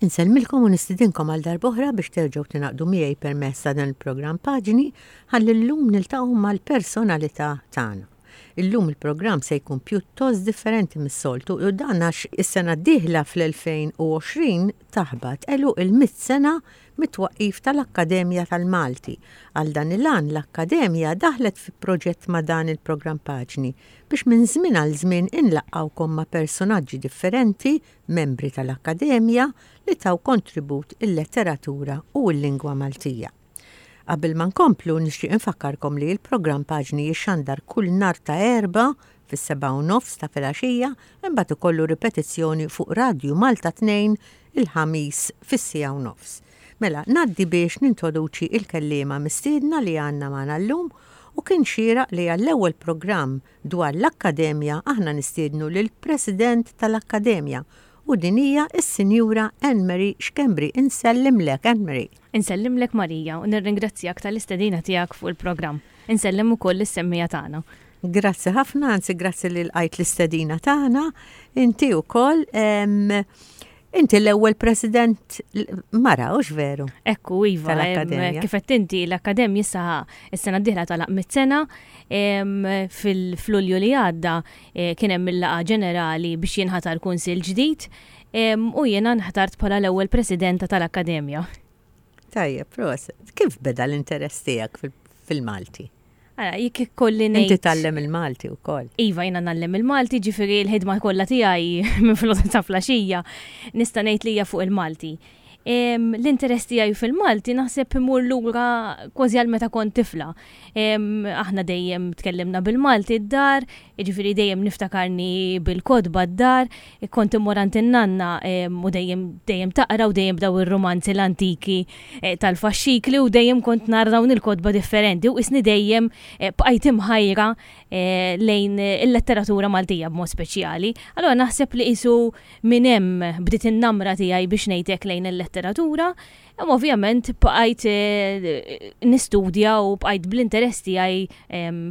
Insellmilkom u nistidinkom għal darb'oħra biex terġgħu tingħaqdu miegħi permezz ta' dan il-programm Paġni ħalli llum niltaqgħu mal-personalità tagħna. Illum il-programm se jkun pjuttost differenti mis-soltu u dan għax is-sena d-dieħla fl-2020 taħbat għeluq il-mitt sena mit-twaqqif tal-Akkademja tal-Malti. Għal dan il-għan l-Akkademja daħlet fi proġett ma' dan il-programm Paġni biex minn żmien għal żmien inlaqqgħukom ma' persunaġġi differenti, membri tal-Akkademja, li taw kontribut il-letteratura u l-lingwa Maltija. Qabel ma nkomplu nixtieq infakkarkom li l-programm Paġni jixxandar kull nhar ta' Erbgħa fis-7:30 ta' filgħaxija imbagħad ikollu ripetizzjoni fuq Radju Malta 2 il-Ħamis fis-siegħa u nofs. Mela, ngħaddi biex nintroduċi l-kelliema mistiedna li għandna magħna llum u kien xieraq li għall-ewwel programm dwar l-Akkademja aħna nistiednu lill-President tal-Akkademja u din hija s-Sinjura Anne Marie Schembri. Insellimlek, Anne Marie. Insellimlek Marija u nirringrazzjak tal-istedina tiegħek fuq il-programm. Insellem ukoll lis-semmiegħa tagħna. Grazzi ħafna, anzi grazzi li lqajt l-istedina tagħna. Inti wkoll inti l-ewwel president mara, hux veru? Ekku, iva. Kif qed inti l-Akkademja issa s-sena d-dieħla tagħlaq mit-sena fil-Lulju li għadda eh, kien hemm il-laqgħa ġenerali biex jinħatar kunsill ġdid u jiena nħtart bħala l-ewwel presidenta tal-Akkademja. Tajjeb, proset. Kif beda l-interess tiegħek fil-Malti? Ara, jekk ikolli ngħid. Inti tgħallem il-Malti wkoll. Iva, jiena ngħallem il-Malti, ġifieri l-ħidma kollha tiegħi minn filgħodu ta' flaxija nista' ngħid li hija fuq il-Malti. L-interess tiegħi fil-Malti naħseb imur lura kważi għal meta kont tifla. Aħna dejjem tkellimna bil-Malti d-dar, jiġifieri dejjem niftakarni bil-kotba d-dar, kont immur għand in-nanna u dejjem dejjem taqra u dejjem b'daw ir-rumanzi l-antiki eh, tal-faxxikli u dejjem kont nara dawn il-kotba differenti u isni dejjem eh, bqajt imħajra eh, lejn il-letteratura Maltija b'mod speċjali. Allura naħseb li qisu minn hemm bdiet in-namra tiegħi biex ngħidlek lejn il-letteratura, imma ovvjament bqajt nistudja u bqajt bl-interess tiegħi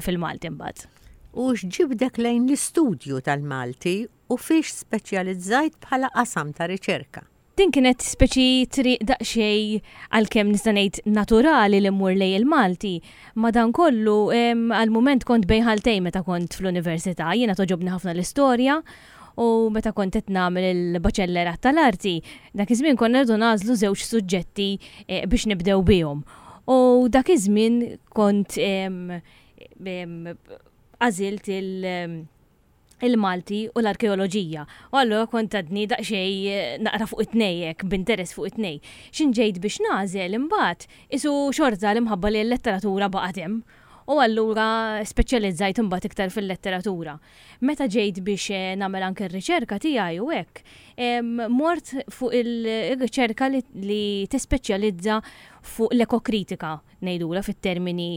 fil-Malti mbagħad. U x'ġibdek lejn l-istudju tal-Malti u fiex speċjalizzajt bħala qasam ta' riċerka? Din kienet speċi triq daqsxejn għalkemm nista' ngħid naturali li mmur lejn il-Malti, madankollu għal mument kont bejn ħaltejn meta kont fl-università. Jiena togħġobni ħafna l-istorja u meta kont qed nagħmel il-baċellerat tal-arti, dak iż-żmien konna rridu nagħżlu żewġ suġġetti eh, biex nibdew bihom. U dak iż-żmien kont għażilt il- il-Malti u l-arkeoloġija. U allura kont għadni daqsxejn eh, naqra fuq it-tnej hekk, b'interess fuq it-tnej. X'in ġejt biex nagħżel imbagħad isu xorta l-imħabba li l-letteratura baqgħet hemm. U allura speċjalizzajt imbagħad iktar fil-letteratura. Meta ġejt biex eh, nagħmel anke r-riċerka tiegħi u hekk, mort fuq il-riċerka li tispeċjalizza fuq l-ekokritika ngħidulha fit-termini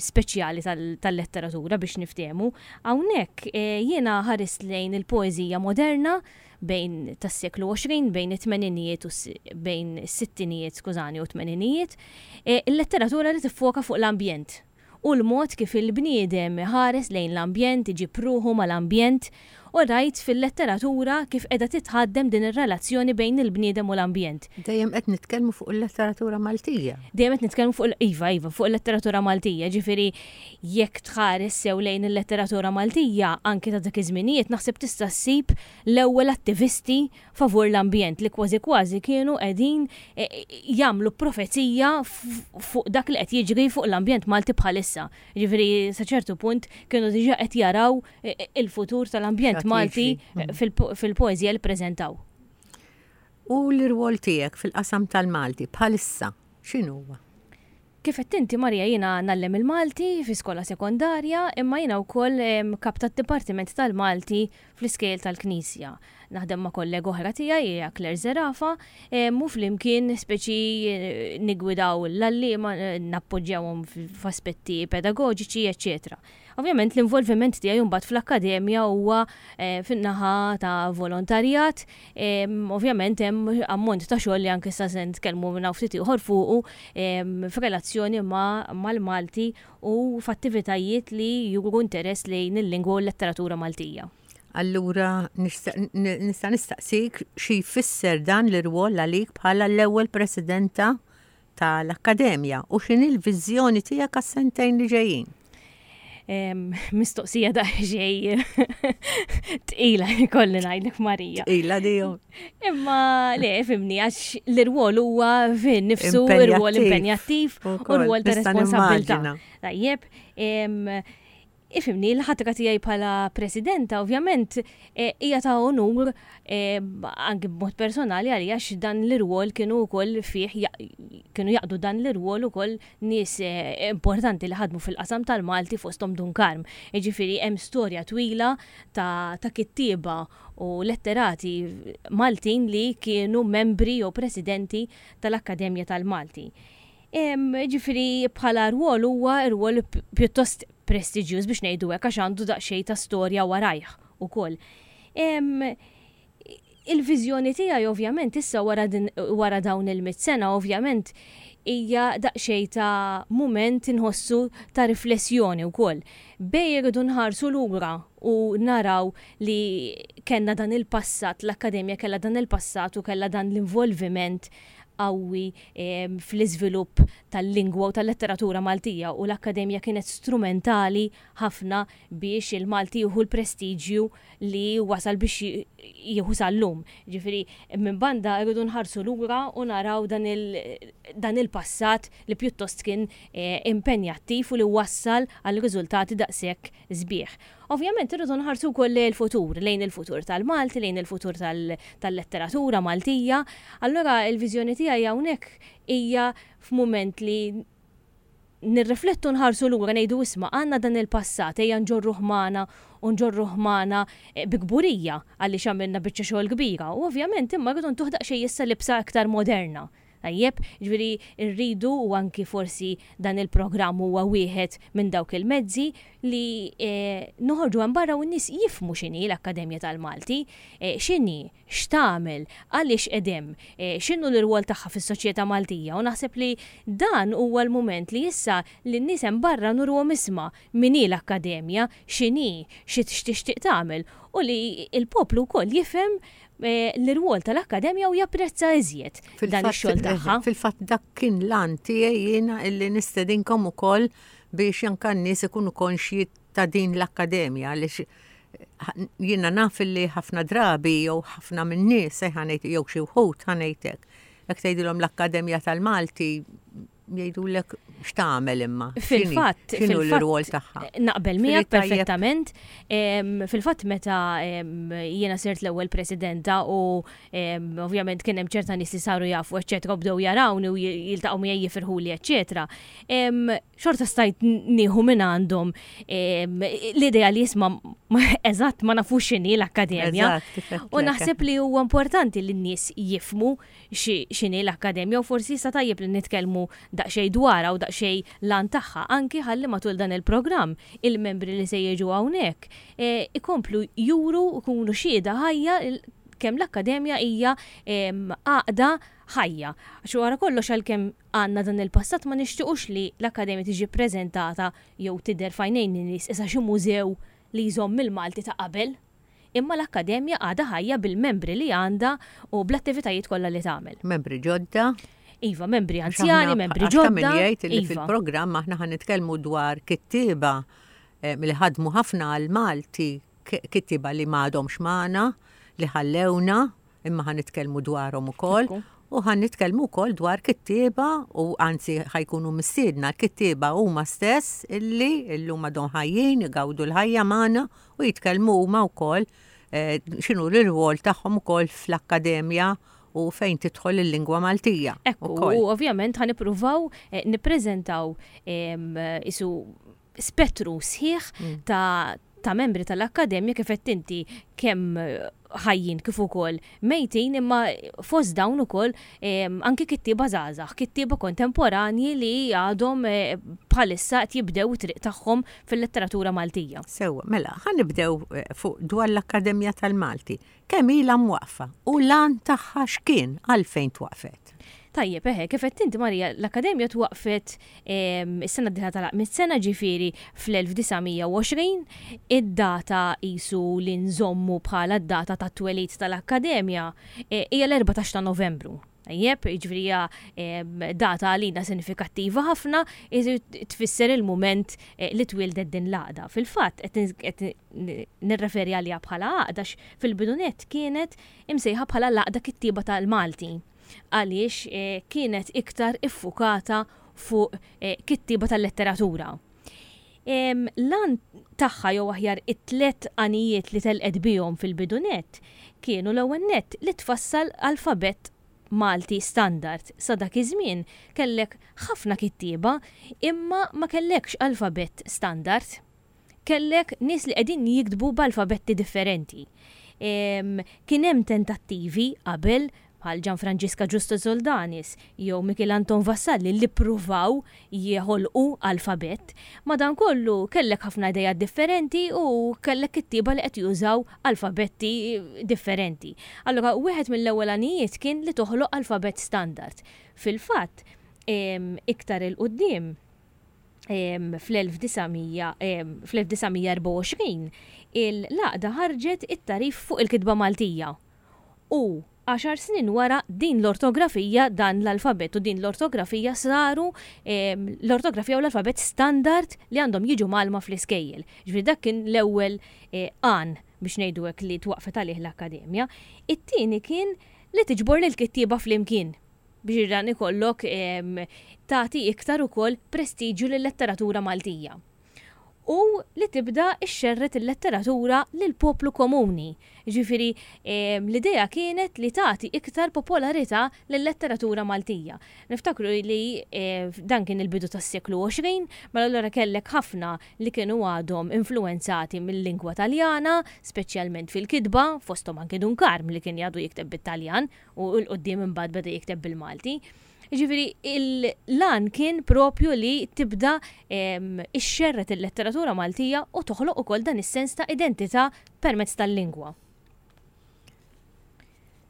speċjali tal-letteratura biex niftehmu. Hawnhekk eh, jiena ħarist lejn il-poeżija moderna bejn tas-seklu 20 bejn it-tmeninijiet u bejn is-sittinijiet skużani u t-tmeninijiet, eh, il-letteratura li tiffoka fuq l-ambjent u l-mod kif il-bniedem iħares lejn l-ambjent, iġib ruħu mal-ambjent U rajt fil-letteratura kif qiegħda titħaddem din ir-relazzjoni bejn il-bniedem u l-ambjent. Dejjem qed nitkellmu fuq il-letteratura Maltija. Dejjem qed nitkellmu fuq iva, iva, fuq il-letteratura Maltija, ġifieri jekk tħares sew lejn il-letteratura Maltija anki ta' dak iż-żminijiet naħseb tista' ssib l-ewwel attivisti favur l-ambjent li kważi kważi kienu qegħdin e, jagħmlu profezija fuq dak li qed jiġri fuq l-ambjent Malti bħalissa. Ġifieri sa ċertu punt kienu diġà qed jaraw il-futur tal-ambjent Malti mm. fil-poeżija li ppreżentaw. U l-irwol tiegħek fil-qasam tal-Malti bħalissa x'inhuwa? Kif qed inti Marija jiena ngħallem il-Malti fi skola sekondarja imma jiena wkoll kap tad-Dipartiment tal-Malti fl-iskejjel tal-Knisja. Naħdem ma' kollega oħra tiegħi hija Claire Zerafa u flimkien speċi eh, nigwidaw l-għalliema, eh, nappoġġjawhom f'aspetti pedagoġiċi, eċċetera. Ovvjament l-involviment tiegħi mbagħad fl-akkademja huwa eh, fin-naħa ta' volontarjat, ovvjament hemm ammont ta' xogħol li anke sa se nitkellmu minn hawn ftit ieħor fuqu f'relazzjoni mal-Malti u f'attivitajiet li juru interess lejn il-lingwa u l-letteratura Maltija. Allura nista' nistaqsik xi jfisser dan l-irwol għalik bħala l-ewwel presidenta tal-Akkademja u x'inhi l-viżjoni tiegħek għas-sentejn li ġejjin? Mistoqsija daqsxejn tqila jkolli ngħidlek Marija. Tqila diju. Imma le, fimni, għax l-irwol huwa fin nifsu irwol impenjattiv u rwol ta' responsabilità. Tajjeb, Ifhimni, l-ħatra tiegħi bħala Presidenta ovvjament hija ta' onur anki b'mod personali għalija għax dan l-irwol kienu wkoll fih kienu jaqdu dan l-irwol ukoll nies importanti li ħadmu fil-qasam tal-Malti fosthom Dun Karm. Jiġifieri hemm storja twila ta' ta' kittieba u letterati Maltin li kienu membri jew presidenti tal-Akkademja tal-Malti. Ġifieri bħala rwol huwa rwol pjuttost prestiġjuż biex ngħidu hekk għax għandu daqsxejn ta' storja warajh ukoll. Il-viżjoni tiegħi ovvjament issa wara din wara dawn il-mitt sena ovvjament hija daqsxejn ta' mument inħossu ta' riflessjoni wkoll. Bej irridu nħarsu lura u naraw li kellna dan il-passat, l-Akkademja kellha dan il-passat u kellha dan l-involviment qawwi fl-iżvilupp tal-lingwa u tal-letteratura Maltija u l-Akkademja kienet strumentali ħafna biex il-Malti jieħu l-prestiġju li wasal biex jieħu sal-lum. Ġifieri, minn banda rridu nħarsu lura u naraw dan il-passat li pjuttost kien impenjattiv u li wassal għal riżultati daqshekk sbieħ. Ovvjament irridu nħarsu wkoll lejn il-futur, lejn il-futur tal-Malti, lejn il-futur tal-letteratura Maltija. Allura il-viżjoni tiegħi hawnhekk hija f'mument li nirriflettu nħarsu lura ngħidu isma' għandna dan il-passat ejja nġorruh magħna u nġorruh magħna eh, bi kburija għaliex għamilna biċċa xogħol kbira. U ovvjament imma rridu ntuh daqsxejn issa libsa aktar moderna. Tajjeb, jiġifieri rridu u anki forsi dan il-programm huwa wieħed minn dawk il-mezzi li noħorġu hemm barra u n-nies jifhmu x'inhi l-Akkademja tal-Malti, x'inhi, x'tagħmel, għaliex qed hemm, x'inhu l-irwol tagħha fis-soċjetà Maltija u naħseb li dan huwa l-mument li issa lin-nies hemm barra nuruhom isma' min hi l-Akkademja, x'inhi, x'tixtieq tagħmel u li l-poplu wkoll jifhem l-irwol tal-akkademja u japprezza iżjed dan ix-xogħol tagħha. Fil-fatt dak kien l-għan tiegħi jiena illi nistedinkom ukoll biex anke n-nies ikunu konxji ta' din l-akkademja għaliex jiena naf illi ħafna drabi jew ħafna min-nies se ħanejt jew xi wħud ħanejtek. Jekk tgħidilhom l-Akkademja tal-Malti jgħidulek x'tagħmel imma. Fil-fatt, x'inhu l-rwol tagħha. Naqbel miegħek perfettament. Fil-fatt meta jiena sirt l-ewwel presidenta u ovvjament kien hemm ċerta nies li saru jafu eċċetera u bdew jarawni u jiltaqgħu miegħi jifirħuli eċċetera. Xorta stajt nieħu minn għandhom l-idea li jisma' eżatt ma nafux x'inhi l-akkademja. U naħseb li huwa importanti li n-nies jifmu x'inhi l-akkademja u forsi issa tajjeb li nitkellmu daqsxejn dwarha u daqsxejn l-għan tagħha anki ħalli matul dan il-programm il-membri li se jiġu hawnhekk ikomplu juru u jkunu xhieda ħajja kemm l-akkademja hija għaqda ħajja. Għax wara kollox għalkemm għandna dan il-passat ma nixtiequx li l-akkademja tiġi ppreżentata jew tidher f'għajnejn in-nies qisha xi mużew li jżomm il-Malti ta' qabel. Imma l-Akkademja għadha ħajja bil-membri li għandha u bl-attivitajiet kollha li tagħmel. Membri ġodda. Iva, membri anzjani, membri ġodda. Ta' min jgħid li iva. fil-programm aħna ħa nitkellmu dwar kittieba eh, li ħadmu ħafna għal Malti, kittieba li m'għadhomx magħna, li ħallewna, imma ħa nitkellmu dwarhom ukoll. U ħa nitkellmu wkoll dwar kittieba u anzi ħajkunu mistiedna l-kittieba huma stess illi illum għadhom ħajjin, igawdu l-ħajja magħna u jitkellmu huma wkoll eh, x'inhu l-irwol tagħhom ukoll fl-akkademja u fejn tidħol il-lingwa Maltija. Ekku, u ovvjament ħa nippruvaw eh, nippreżentaw isu spettru sħiħ mm. ta' ta' membri tal-akkademja kif qed inti kemm ħajjin kif ukoll mejtin imma fost dawn ukoll anki kittieba żgħażagħ, kittieba kontemporanji li għadhom eh, bħalissa qed jibdew it-triq tagħhom fil-letteratura Maltija. Sewwa, mela, ħa nibdew eh, fuq dwar l-Akkademja tal-Malti. Kemm ilha mwaqqfa u l-għan tagħha x'kien għalfejn twaqfet? Tajjeb, eħe, kif għedt inti Marija, l-Akkademja twaqqfet is-sena d-dieħla tagħlaq mit sena ġifieri fl-1920, id-data qisu li nżommu bħala d-data tat-twelid tal-Akkademja eh, hija l-14 ta' Novembru. Tajjeb, jiġifieri hija data għalina sinifikattiva ħafna, tfisser il-mument eh, li twieldet din l-għaqda. Fil-fatt, qed nirreferi għaliha bħala għaqda fil-bidunet kienet imsejħa bħala l-għaqda kittieba tal-Malti għaliex eh, kienet iktar iffukata fuq eh, kittieba tal-letteratura. L-għan tagħha jew aħjar it-tlet għanijiet li telqet bihom fil-bidu nett kienu l-ewwel nett li tfassal alfabett Malti standard. Sa dak iż-żmien kellek ħafna kittieba imma ma kellekx alfabett standard. Kellek nies li qegħdin jiktbu b'alfabetti differenti. Kien hemm tentattivi qabel bħal Gianfrangiska Giusto Soldanis jew Mikiel Anton Vassalli li ppruvaw jeħolqu alfabett. Madankollu kellek ħafna ideat differenti u kellek kittieba li qed jużaw alfabetti differenti. Allura wieħed mill-ewwel għanijiet kien li toħloq alfabett standard. Fil-fatt, iktar 'il quddiem, fl-1924 il-għaqda ħarġet it-tagħrif fuq il-kitba Maltija u għaxar snin wara din l-ortografija, dan l-alfabett u din l-ortografija saru l-ortografija u l-alfabett standard li għandhom jiġu mgħallma fl-iskejjel. Ġifieri dak kien l-ewwel eh, għan biex ngħidu hekk li twaqfet għalih l-akkademja. It-tieni kien li tiġbor lill-kittieba flimkien biex dan ikollok tagħti iktar ukoll prestiġju lil-letteratura Maltija. U li tibda xxerred il-letteratura lill-poplu komuni. Jiġifieri l-idea kienet li tagħti iktar popolarità lil-letteratura Maltija. Niftakru li dan kien il-bidu tas-seklu 20, mela allura kellek ħafna li kienu għadhom influwenzati mil-lingwa Taljana, speċjalment fil-kitba, fosthom anki Dun Karm li kien għadu jikteb bit-Taljan u 'l quddiem imbagħad beda jikteb bil-Malti. Jiġifieri l-għan kien propju li tibda ixxerred il-letteratura Maltija u toħloq ukoll dan is-sens ta' identità permezz tal-lingwa.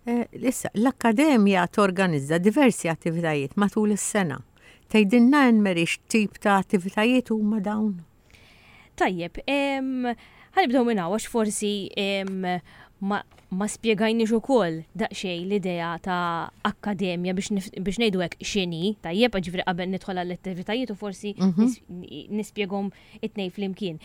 Eh, issa, l-Akkademja torganizza diversi attivitajiet matul is-sena. Tgħidilna Anne-Marie x'tip ta' attivitajiet huma dawn? Tajjeb, ħanibdew minn hawn għax forsi ma, ma spjegajniex ukoll daqsxejn l-idea ta' akkademja biex, biex ngħidu hekk x'inhi, tajjeb, ġifieri qabel nidħol għall-attivitajiet u forsi mm -hmm. nispjeghom it-tnejn flimkien.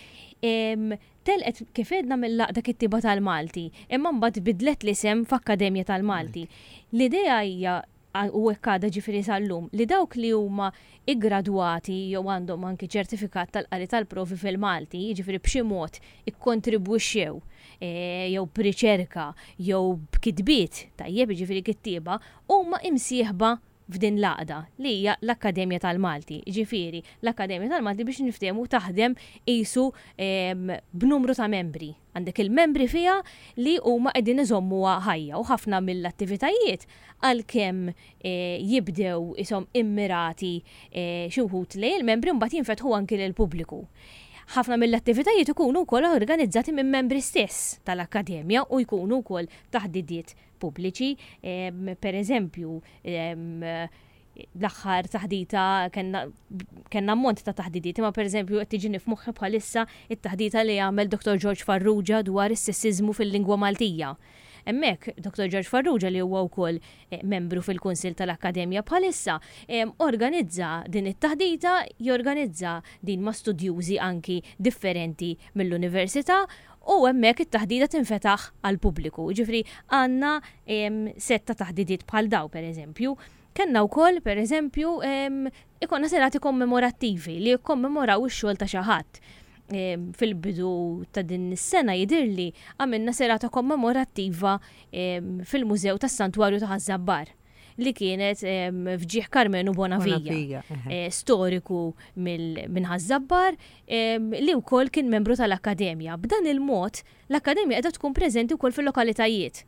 Telqet kif għedna mill-Għaqda Kittieba tal-Malti, imma mbagħad bidlet l-isem f'Akkademja tal-Malti. L-idea hija u hekk għadha ġifieri sal-lum, li dawk li huma iggradwati jew għandhom anki ċertifikat tal-qari tal-provi fil-Malti, jiġifieri b'xi mod ikkontribwixxew jew b'riċerka jew b'kitbiet, tajjeb, jiġifieri kittieba, huma imsieħba f'din l-għaqda li hija l-Akkademja tal-Malti. Jiġifieri, l-Akkademja tal-Malti biex niftehmu taħdem qisu b'numru ta' membri. Għandek il-membri fiha li huma qegħdin iżommuha ħajja u ħafna mill-attivitajiet għalkemm jibdew ishom immirati xi wħud lejn il-membri mbagħad jinfetħu anki lill-pubbliku. Ħafna mill-attivitajiet ikunu wkoll organizzati minn membri stess tal-Akkademja u jkunu wkoll taħdidiet pubbliċi. Per eżempju, l-aħħar taħdita kellna kellna ammont ta' taħdidiet, imma pereżempju qed tiġini f'moħħi bħalissa it-taħdita li għamel Dr. George Farrugia dwar is-sessiżmu fil-lingwa Maltija. Hemmhekk Dr. George Farrugia li huwa wkoll eh, membru fil-Kunsill tal-Akkademja bħalissa organizza din it-taħdita, jorganizza din ma' studjużi anki differenti mill-università u hemmhekk it-taħdita tinfetaħ għall-pubbliku. Ġifieri għandna sett ta' taħdidiet bħal daw pereżempju. Kellna wkoll, per eżempju, ikollna serati kommemorattivi li jikkommemoraw ix-xogħol ta' xi ħadd. Fil-bidu ta' din is-sena jidhirli għamilna serata kommemorattiva fil-Mużew tas-Santwarju ta' Ħaż-Żabbar li kienet f'ġieħ Karmenu Bonavija, eh, storiku minn Ħaż-Żabbar li wkoll kien membru tal-Akkademja. B'dan il-mod l-Akkademja qiegħda tkun preżenti wkoll fil-lokalitajiet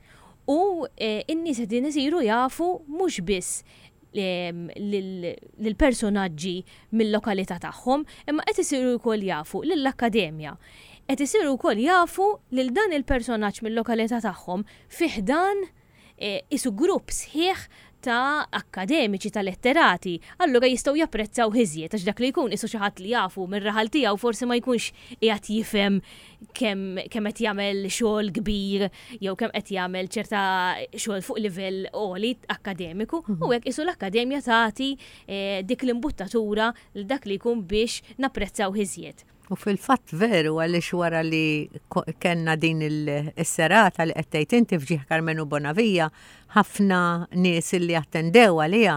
U n-nies qegħdin isiru jafu mhux biss lill-personaġġi mill-lokalità tagħhom, imma qed isiru wkoll jafu lill-akkademja. Qed isiru wkoll jafu lil dan il-personaġġ mill-lokalità tagħhom fi ħdan isu grupp sħiħ ta' akkademiċi, ta' letterati, allura jistgħu japprezzaw iżjed għax dak li jkun isu xi ħadd li jafu mir-raħal tiegħu forsi ma jkunx qiegħed jifhem kemm kemm qed jagħmel xogħol kbir jew kemm qed jagħmel ċerta xogħol fuq livell għoli akkademiku u hekk isu l-akkademja tagħti eh, dik l-imbuttatura lil dak li jkun biex napprezzaw iżjed. U fil-fatt veru għaliex wara li kellna din is-serata li qed tgħid inti f'ġieħ Karmenu Bonavia, ħafna nies li attendew għaliha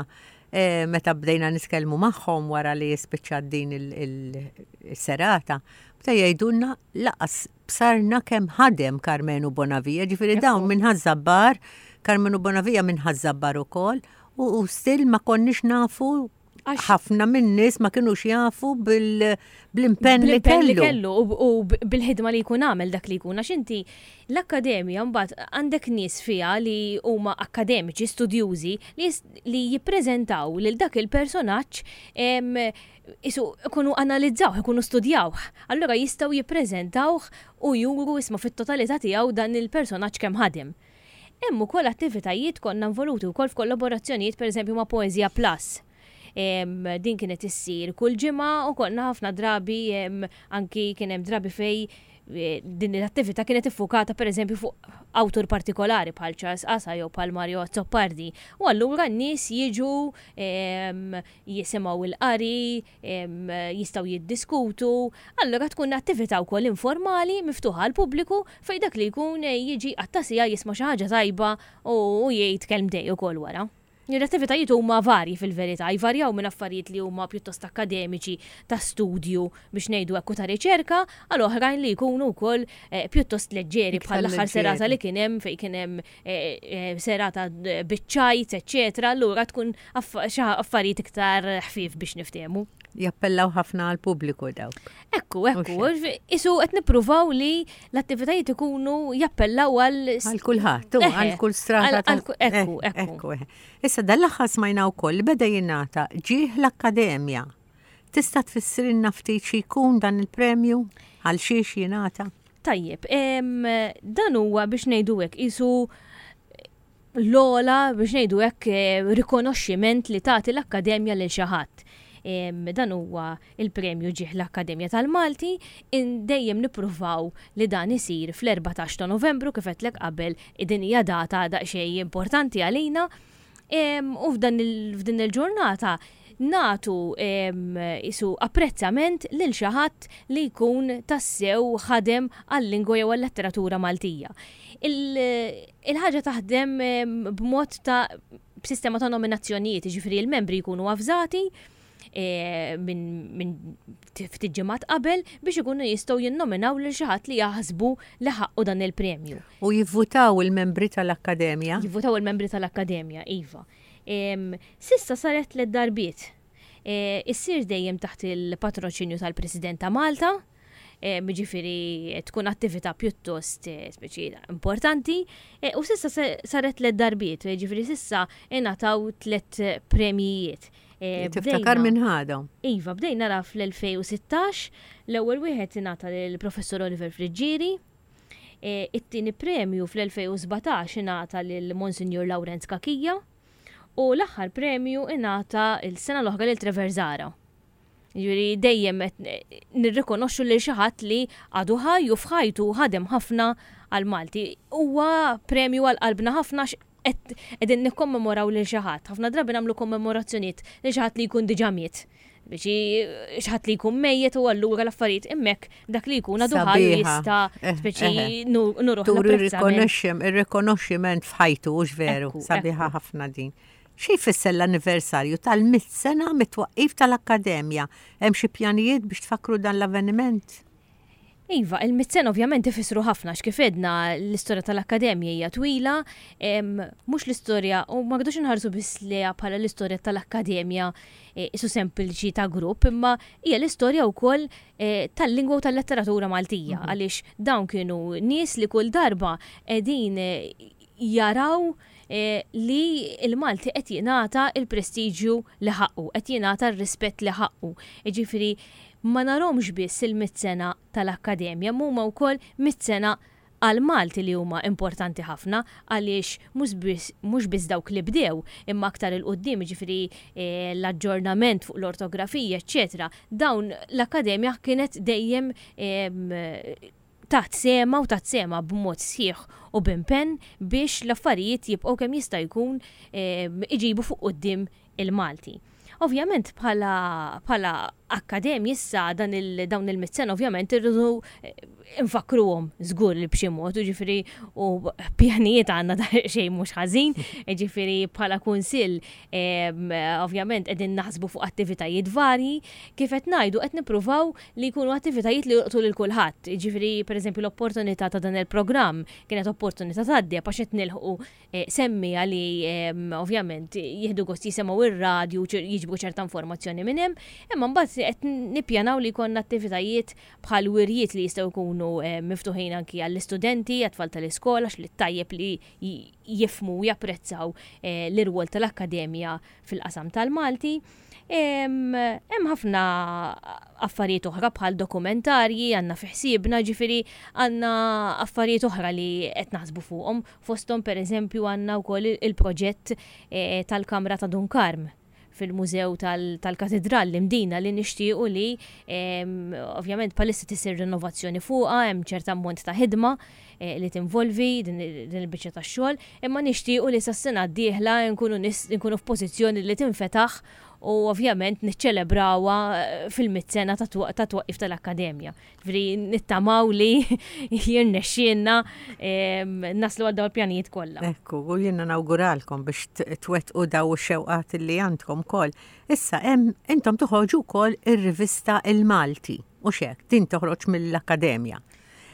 eh, meta bdejna nitkellmu magħhom wara li spiċċat din il-serata, bdew jgħidulna laqas bsarna kemm ħadem Karmenu Bonavia, ġifieri dawn minn Ħaż-Żabbar, Karmenu Bonavia minn Ħaż-Żabbar ukoll, u still ma konniex nafu ħafna minn nies ma kinux jafu bl-impenn li kellu. kellu u bil-ħidma li jkun għamel dak li jkun għax inti l-akkademja mbagħad għandek nies fiha li huma akkademiċi studjużi li jippreżentaw lil dak il-personaġġ isu ikunu analizzawh, ikunu studjawh. Allura jistgħu jippreżentawh u juru isma' fit-totalità tiegħu dan il-personaġġ kemm ħadem. Hemm ukoll attivitajiet konna involuti wkoll f'kollaborazzjonijiet pereżempju ma' Poesia Plus. Din kienet issir kull ġimgħa u konna ħafna drabi anki kien hemm drabi fej eh, din l-attività kienet iffukata pereżempju fuq awtur partikolari bħal Charles Asa jew bħal Mario Azzopardi. U allura n-nies jiġu jisimgħu il-qari, jistgħu jiddiskutu, allura tkun attività wkoll informali miftuħa għall-pubbliku fejn dak li jkun jiġi jqatta' siegħa jisma' xi ħaġa tajba u jgħid kelmtejn ukoll wara. L-attivitajiet huma varji fil-verità, jvarjaw minn affarijiet li huma pjuttost akkademiċi ta' studju biex ngħidu hekk u ta' riċerka għal oħrajn li jkunu wkoll eh, pjuttost leġġeri bħal l-aħħar serata li kien hemm fejn kien hemm eh, eh, serata biċ-ċajt, eċċetera, allura tkun affarijiet iktar ħfief biex niftehmu. Jappellaw ħafna għal pubbliku dawk. Ekku, ekku, isu qed nippruvaw li l-attivitajiet ikunu jappellaw għal għal kulħadd, għal kull strata. Ekku, ekku. Issa dal-aħħar smajna wkoll li beda jingħata ġieħ l-akkademja. Tista' tfissrilna ftit xi jkun dan il-premju? Għal xiex jingħata? Tajjeb, dan huwa biex ngħidu hekk isu l-ola biex ngħidu hekk eh, rikonoxximent li tagħti l-Akkademja lil xi ħadd. Dan huwa il-premju ġieħ l-Akkademja tal-Malti, dejjem nippruvaw li dan isir fl-14 ta' Novembru kif għedtlek qabel din hija data daqsxejn importanti għalina. U f'dan f'din il-ġurnata nagħtu isu apprezzament lil xi ħadd li jkun tassew ħadem għal-lingwa jew għal-letteratura Maltija. Il-ħaġa taħdem b'mod ta' b'sistema ta' nominazzjonijiet, jiġifieri l-membri jkunu avżati E, minn ftit ġimgħat qabel biex ikunu jistgħu jinnominaw lil xi ħadd li jaħsbu li ħaqqu dan il-premju. U jivvutaw il-membri tal-Akkademja? Jivvutaw il-membri tal-Akkademja, iva. Sissa saret tliet darbiet. E, issir dejjem taħt il-patroċinju tal-President ta' Malta, e, jiġifieri tkun attività pjuttost speċi importanti, u sissa saret tliet darbiet, jiġifieri sissa ingħataw tliet premjijiet. Eh, Tiftakar minn ħadhom. Iva, bdejna nara fl-2016, l-ewwel wieħed ingħata lill-Professur Oliver Friggieri, eh, it-tieni premju fl-2017 ingħata lil Monsignor Lawrenz Kakija u l-aħħar premju ingħata l-sena l-oħra lil Trevor Zara. Ġifieri dejjem qed nirrikonoxxu lil xi ħadd li għadu ħaj u f'ħajtu ħadem ħafna għal Malti. Huwa premju għal qalbna ħafna qegħdin nikkommemoraw lil xi ħadd. Ħafna drabi nagħmlu kommemorazzjonijiet lil xi ħadd li jkun diġà miet. Biex xi ħadd li jkun mejjet u allura l-affarijiet hemmhekk dak li jkun għadu ħaj jista' eh, speċi eh, eh. nuruh. Turi rikonoxximent f'ħajtu hux veru, sabiħa ħafna din. Xi jfisser l-anniversarju tal-mitt sena mit-twaqqif tal-Akkademja? Hemm xi pjanijiet biex tfakkru dan l-avveniment? Iva, il-mitt sena ovvjament ifissru ħafna għax kif għedna l-istorja tal-Akkademja hija twila, mhux l-istorja u ma rridux inħarsu biss lejha bħala l-istorja tal-Akkademja e, isu sempliċi ta' grupp, imma hija l-istorja wkoll e, tal-lingwa u tal-letteratura Maltija mhm. għaliex dawn kienu nies li kull darba qegħdin e, jaraw li l-Malti qed jingħata l-prestiġju li ħaqqu, qed jingħata r-rispett li ħaqqu. Jiġifieri ma narhomx biss il-mitt sena tal-Akkademja, imma huma wkoll mitt sena għall-Malti li huma importanti ħafna għaliex mhux biss dawk li bdew imma aktar 'il quddiem jiġifieri l-aġġornament fuq l-ortografija eċċetera dawn l-Akkademja kienet dejjem tat sehemha u tat sehemha b'mod sħiħ u b'impenn biex l-affarijiet jibqgħu kemm jista' jkun iġibu fuq quddiem il-Malti. Ovvjament bħala bħala akkademji issa dan il dawn il-mitt sena ovvjament irridu nfakkruhom żgur li b'xi mod, jiġifieri u pjanijiet għandna xejn mhux ħażin, jiġifieri bħala kunsill ovvjament qegħdin naħsbu fuq attivitajiet varji, kif qed ngħidu qed nippruvaw li jkunu attivitajiet li jolqtu lil kulħadd. Jiġifieri pereżempju l-opportunità ta' dan il-programm kienet opportunità tad-deheb għax qed nilħqu semmiegħa li ovvjament jieħdu gost jisimgħu ir-radju, jiġbru ċerta informazzjoni minn hemm, imma mbagħad qed nippjanaw li jkollna attivitajiet bħal wirjiet li jistgħu jkunu miftuħin anki għall-istudenti, għat-tfal tal-iskola, għax li tajjeb li jifhmu u japprezzaw l-irwol tal-akkademja fil-qasam tal-Malti. Hemm ħafna affarijiet oħra bħal dokumentarji għandna fi ħsiebna, ġifieri għandna affarijiet oħra li qed naħsbu fuqhom. Fosthom pereżempju għandna wkoll il-proġett eh, tal-Kamra ta' Dun Karm fil-Mużew tal-Katidral l-Imdina li nixtiequ li ovvjament palissa tisir rinnovazzjoni fuqha, hemm ċerta ammont ta' ħidma eh, li tinvolvi din il-biċċa tax-xogħol, imma nixtiequ li sas-sena d-dieħla nkunu f'pożizzjoni li tinfetaħ u ovvjament niċċelebrawha eh, fil-mit sena ta' twaqqif tal-Akkademja. Ġifieri nittamaw li jirnexxielna naslu għal dawn il-pjanijiet kollha. Ekku, u jiena nawguralkom biex twettqu daw ix-xewqat li għandkom ukoll. Issa hemm intom toħorġu wkoll ir-rivista Il-Malti, u xek, din toħroġ mill-Akkademja.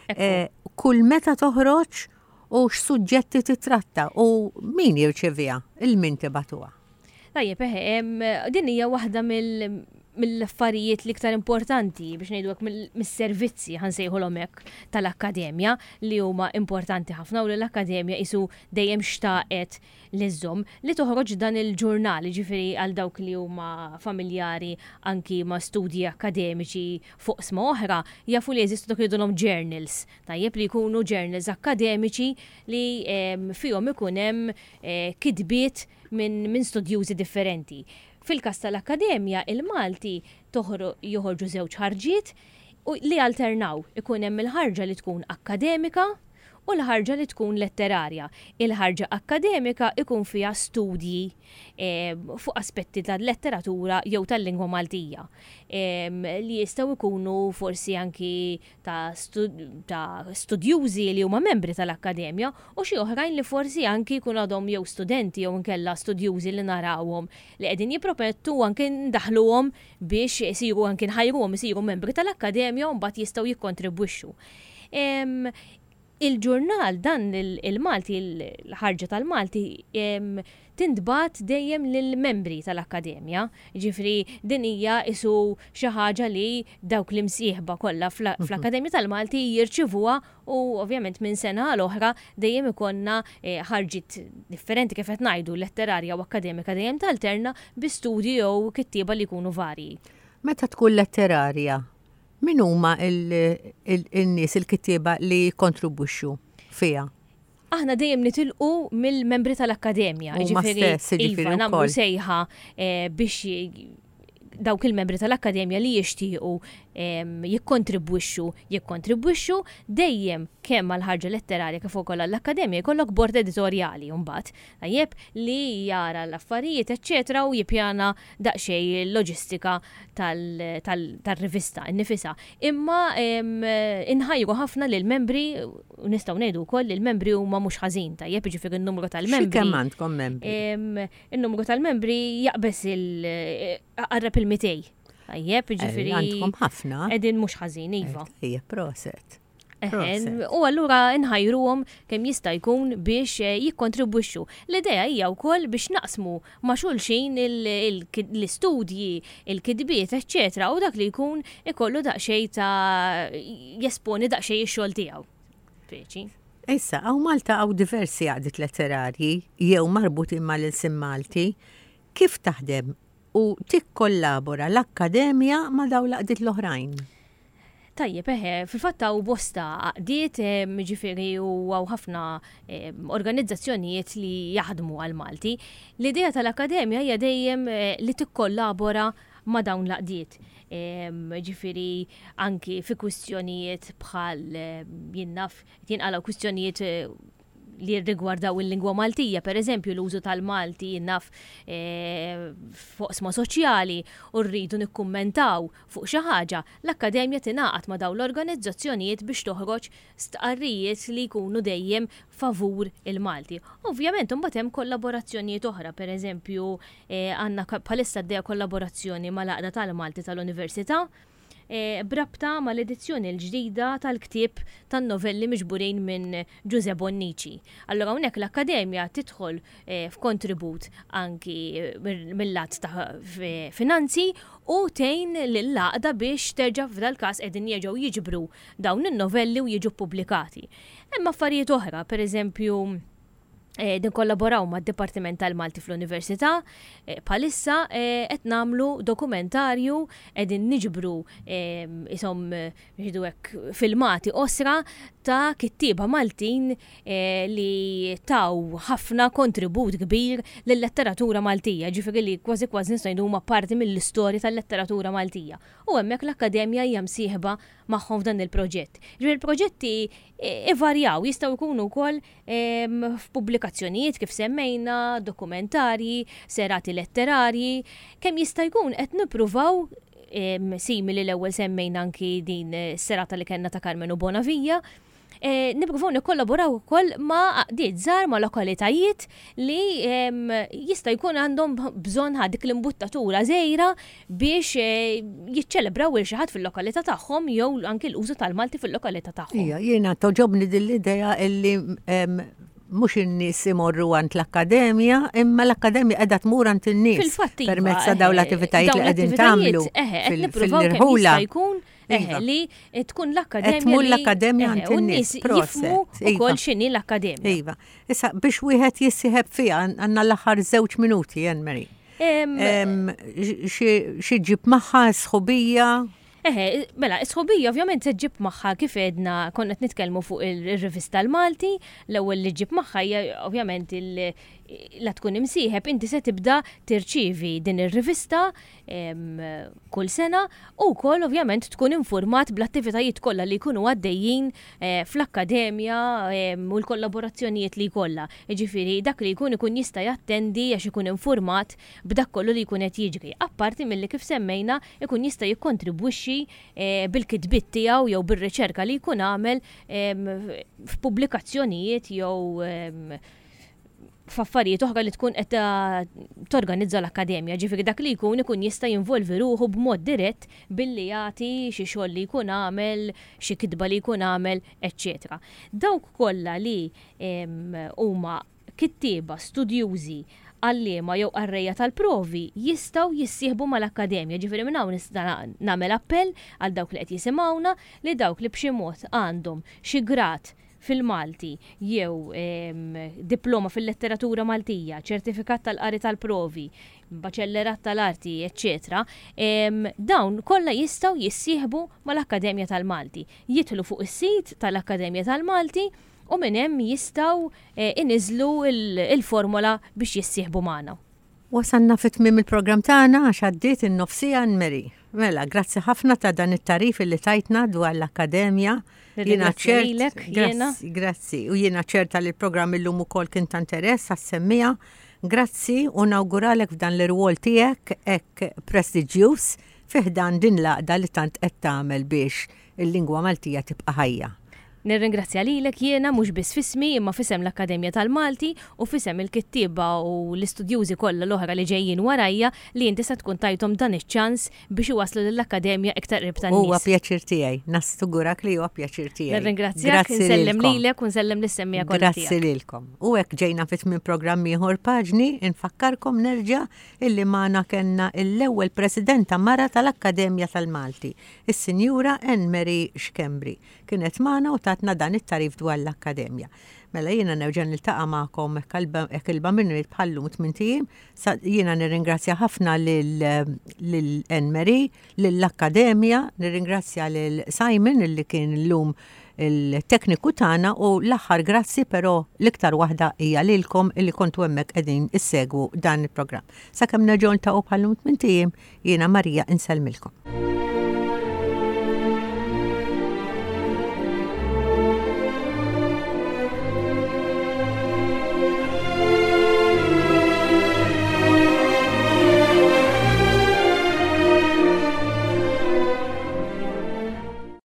Eh, kull meta toħroġ u x'suġġetti titratta u min jirċeviha, il-min tibatuha. Tajjeb, eħe, din hija waħda mill-affarijiet l-iktar importanti biex ngħidu hekk mis-servizzi ħansejħulhom hekk tal-akkademja li huma importanti ħafna u li l-akkademja qisu dejjem xtaqet li żżomm li toħroġ dan il-ġurnal, jiġifieri għal dawk li huma familjari anki ma' studji akkademiċi fuq oqsma oħra, jafu li jeżistu dak li jgħidulhom journals, tajjeb li jkunu journals akkademiċi li fihom ikun hemm eh, kitbiet minn min studjużi differenti. Fil-każ tal-Akkademja, il-Malti joħorġu żewġ ħarġiet u li alternaw. Ikun hemm il-ħarġa li tkun akkademika u l-ħarġa li tkun letterarja. Il-ħarġa akkademika ikun fiha studji eh, fuq aspetti tal-letteratura jew tal-lingwa Maltija eh, li jistgħu jkunu forsi anki ta', ta studjużi li huma membri tal-akkademja u xi oħrajn li forsi anki jkunu għadhom jew studenti jew inkella studjużi li narawhom li qegħdin jippromettu anki ndaħluhom biex isiru anki nħajruhom isiru membri tal-akkademja u mbagħad jistgħu jikkontribwixxu. Il-ġurnal dan il-Malti, l-ħarġa tal-Malti, tintbagħat dejjem lill-membri tal-Akkademja. Jiġifieri din hija qisu xi ħaġa li dawk l-imsieħba kollha fl-Akkademja tal-Malti jirċivuha u ovvjament minn sena għal oħra dejjem ikollna eh, ħarġiet differenti kif qed ngħidu letterarja u akkademika dejjem talterna bi studji jew kittieba li jkunu varji. Meta tkun letterarja, Min huma n-nies il-kittieba li jikkontribwixxu fiha? Aħna dejjem nitilqu mill-membri tal-akkademja. Huma stess, jiġifieri iva, nagħmlu sejħa eh, biex dawk il-membri tal-akkademja li jixtiequ ehm, jikkontribwixxu, jikkontribwixxu dejjem kemm għal ħarġa letterarja kif ukoll għall-akkademja jkollok bord editorjali mbagħad tajjeb li jara l-affarijiet eċċetera u jippjana daqsxejn il-loġistika tal-rivista nnifisha. Imma inħajru ħafna lill-membri, u nistgħu ngħidu wkoll li l-membri huma mhux ħażin, tajjeb, jiġifieri n-numru tal-membri. Xi kemm għandkom membri? In-numru tal-membri jaqbeż il-qarreb il-200. Tajjeb, jiġifieri. Għandkom ħafna. Qegħdin mhux ħażin, iva. Ejja, proset. U allura nħajruhom kemm jista' jkun biex eh, jikkontribwixxu. L-idea hija wkoll biex naqsmu ma' xulxin l-istudji, il-kitbiet, eċċetera, u dak li jkun ikollu daqsxejn ta' jesponi daqsxejn ix-xogħol tiegħu. Speċi. Issa, hawn Malta hawn diversi għaqdiet letterarji jew marbutin mal-ilsien Malti. Kif taħdem u tikkollabora l-Akkademja ma' dawn l-għaqdiet l-oħrajn? Tajjeb, eħe, fil-fatt hawn bosta għaqdiet, ġifieri u hawn ħafna organizzazzjonijiet li jaħdmu għall-Malti. L-idea tal-Akkademja hija dejjem li tikkollabora ma' dawn l-għaqdiet. Ġifieri anki fi kwistjonijiet bħal jien naf jinqalgħu kwistjonijiet li jirrigwardaw il-lingwa Maltija, per eżempju l-użu tal-Malti jien naf f'oqsma soċjali u rridu nikkummentaw fuq xi ħaġa, l-Akkademja tingħaqad ma' dawn l-organizzazzjonijiet biex toħroġ stqarrijiet li jkunu dejjem favur il-Malti. Ovvjament imbagħad hemm kollaborazzjonijiet oħra, per eżempju għandna bħalissa għaddejja kollaborazzjoni mal-Għaqda tal-Malti tal-Università b'rabta mal-edizzjoni l-ġdida tal-ktieb tan-novelli miġburin minn Ġużè Bonnici. Allura hawnhekk l-Akkademja tidħol f'kontribut anki mil-lat ta' finanzi u tgħin lill-għaqda biex terġa' f'dal-każ qegħdin jerġgħu jiġbru dawn in-novelli u jiġu ppubblikati. Hemm affarijiet oħra, pereżempju, eh, nikkollaboraw mad-Dipartiment tal-Malti fl-Università, eh, bħalissa eh, qed nagħmlu dokumentarju qegħdin niġbru isom ngħidu hekk filmati qosra ta' kittieba Maltin li taw ħafna kontribut kbir lill-letteratura Maltija, ġifieri li kważi kważi nistgħu ngħidu huma parti mill-istorja tal-letteratura Maltija. U hemmhekk l-Akkademja hija msieħba magħhom f'dan il-proġett. Ġifieri il-proġetti ivarjaw, jistgħu jkunu wkoll f'pubblikazzjonijiet kif semmejna, dokumentarji, serati letterarji, kemm jista' jkun qed nippruvaw simili l-ewwel semmejna anki din is-serata li kellna ta' Karmenu Bonavia, eh, nippruvaw nikkollaboraw ukoll ma' għaqdiet żgħar ma' lokalitajiet li jista' jkun għandhom bżonn ħa dik l-imbuttatura żgħira biex eh, jiċċelebraw il xi ħadd fil-lokalità tagħhom jew anki l-użu tal-Malti fil-lokalità tagħhom. Ija, jiena toġobni din l-idea illi mhux in-nies imorru għand l-akkademja, imma l-akkademja qiegħda tmur għand in-nies. Fil-fatt iva, permezz ta' dawn eh, l-attivitajiet li dawn qegħdin l-attivitajiet, tagħmlu eħe, qed fil- nippruvaw kemm fil-irħula. jista' jkun eħe, Iva. li tkun l-akkademja. Qed tmur li- l-akkademja eħe, għand u in-nies, n-nies proset, jifhmu iva. ukoll x'inhi l-akkademja. Iva. Issa biex wieħed jissieħeb fiha għandna l-aħħar żewġ minuti, Anne Marie. Em, Xi xi ġib magħha sħubija? Eħe, mela, is-sħubija ovvjament se ġġib magħha kif għedna konna qed nitkellmu fuq il-rivista l-Malti, l-ewwel li ġġib magħha hija ovvjament il- la tkun imsieħeb inti se tibda tirċievi din ir-rivista kull sena u wkoll ovvjament tkun infurmat bl-attivitajiet kollha li jkunu għaddejjin eh, fl-akkademja u l-kollaborazzjonijiet li jkollha. Jiġifieri dak li jkun ikun jista' jattendi għax ikun infurmat b'dak kollu li jkun qed jiġri. Apparti milli kif semmejna ikun jista' jikkontribwixxi eh, bil-kitbiet tiegħu jew bir-riċerka li jkun għamel f'pubblikazzjonijiet jew f'affarijiet oħra li tkun qed torganizza l-akkademja, ġifieri dak li jkun ikun jista' jinvolvi ruħu b'mod dirett billi jagħti xi xogħol li jkun għamel, xi kitba li jkun għamel, eċċetera. Dawk kollha li huma kittieba, studjużi, għalliema jew qarrejja tal-provi jistgħu jissieħbu mal-akkademja, ġifieri minn hawn nista' nagħmel appell għal dawk li qed jisimgħuna li dawk li b'xi mod għandhom xi grad fil-Malti jew diploma fil-letteratura Maltija, ċertifikat tal-qari tal-provi, baċellerat tal-arti, eċċetera, dawn kollha jistgħu jissieħbu mal-Akkademja tal-Malti. Jidħlu fuq is-sit tal-Akkademja tal-Malti u minn hemm jistgħu eh, iniżlu il-formola biex jissieħbu magħna. Wasalna fi tmiem il-programm tagħna għax għaddiet in-nofsija Anne-Marie. Mela, grazzi ħafna ta' dan it-tarif li tajtna dwar l-Akkademja. Jiena ċert. Grazzi, grazzi. U jiena ċerta li l-programm illum ukoll kien ta' interess għas-semmiegħa. Grazzi u nawguralek f'dan l-irwol tiegħek hekk prestiġjuż fi ħdan din l-għaqda li tant qed tagħmel biex il-lingwa Maltija tibqa' ħajja. Nirringrazzja lilek jiena mhux biss f'ismi imma f'isem l-Akkademja tal-Malti u f'isem il-kittieba u l-istudjużi kollha l-oħra li ġejjin warajja li inti se tkun tajthom dan iċ-ċans biex iwasslu lill-Akkademja iktar qrib tan-nies. Huwa pjaċir tiegħi, nassigurak li huwa pjaċir tiegħi. Nirringrazzjak, insellem lilek u nsellem lis-semmiegħa kollha tiegħek. Grazzi lilkom. U hekk ġejna fi tmiem programm ieħor Paġni, infakkarkom nerġa' illi magħna kellna l-ewwel Presidenta mara tal-Akkademja tal-Malti, is-Sinjura Anne Marie Schembri. Kienet magħna u tatna dan it-tagħrif dwar l-Akkademja. Mela jiena nerġa' niltaqa' magħkom hekk il-Bambin irid bħal-lum tmint ijiem. Jiena nirringrazzja ħafna lil Anne Marie, lill-Akkademja, nirringrazzja lil Simon illi kien illum il-tekniku tagħna u l-aħħar grazzi però l-iktar waħda hija lilkom illi kontu hemmhekk qegħdin issegwu dan il-programm. Sakemm nerġgħu niltaqgħu bħal-lum tmint ijiem, jiena Marija insellmilkom.